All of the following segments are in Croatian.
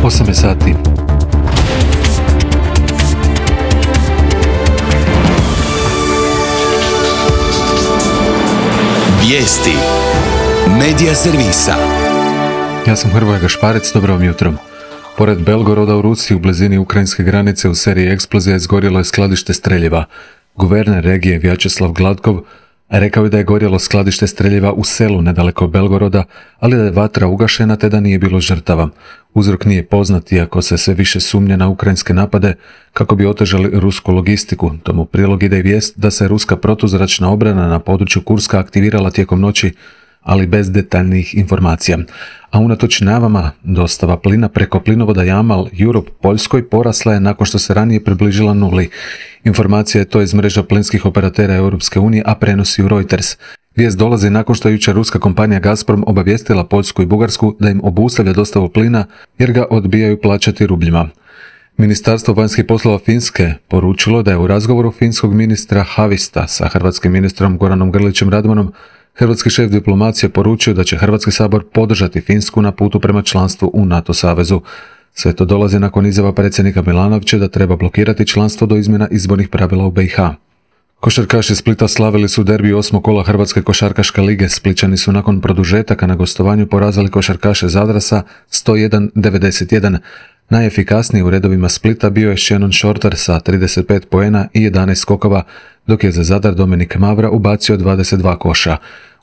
8 sati. Vijesti Medija servisa. Ja sam Hrvoje Gašparec, dobro vam jutro. Pored Belgoroda u Rusiji, u blizini ukrajinske granice, u seriji eksplozija izgorjelo je skladište streljiva. Guverner regije Vjačeslav Gladkov rekao je da je gorjelo skladište streljiva u selu nedaleko Belgoroda, ali da je vatra ugašena te da nije bilo žrtava. Uzrok nije poznat, iako se sve više sumnja na ukrajinske napade kako bi otežali rusku logistiku. Tomu prilog ide i vijest da se ruska protuzračna obrana na području Kurska aktivirala tijekom noći, ali bez detaljnijih informacija. A unatoč najavama, dostava plina preko plinovoda Jamal Europe Poljskoj porasla je nakon što se ranije približila nuli. Informacija je to iz mreža plinskih operatera Europske unije, a prenosi u Reuters. Vijest dolazi nakon što je jučer ruska kompanija Gazprom obavijestila Poljsku i Bugarsku da im obustavlja dostavu plina jer ga odbijaju plaćati rubljima. Ministarstvo vanjskih poslova Finske poručilo da je u razgovoru finskog ministra Havista sa hrvatskim ministrom Goranom Grlićem Radmanom hrvatski šef diplomacije poručio da će Hrvatski sabor podržati Finsku na putu prema članstvu u NATO savezu. Sve to dolazi nakon izjava predsjednika Milanovića da treba blokirati članstvo do izmjena izbornih pravila u BiH. Košarkaši Splita slavili su derbi 8. kola Hrvatske košarkaške lige. Splićani su nakon produžetaka na gostovanju porazili košarkaše Zadra sa 101-91. Najefikasniji u redovima Splita bio je Shannon Shorter sa 35 poena i 11 skokova, dok je za Zadar Dominik Mavra ubacio 22 koša.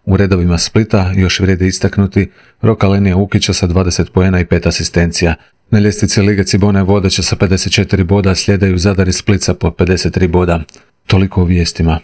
U redovima Splita još vrijedi istaknuti Rok Alenija Ukića sa 20 poena i 5 asistencija. Na ljestvici Lige Cibona je vodeća sa 54 boda, slijedaju Zadar i Split po 53 boda. Toliko o vijestima.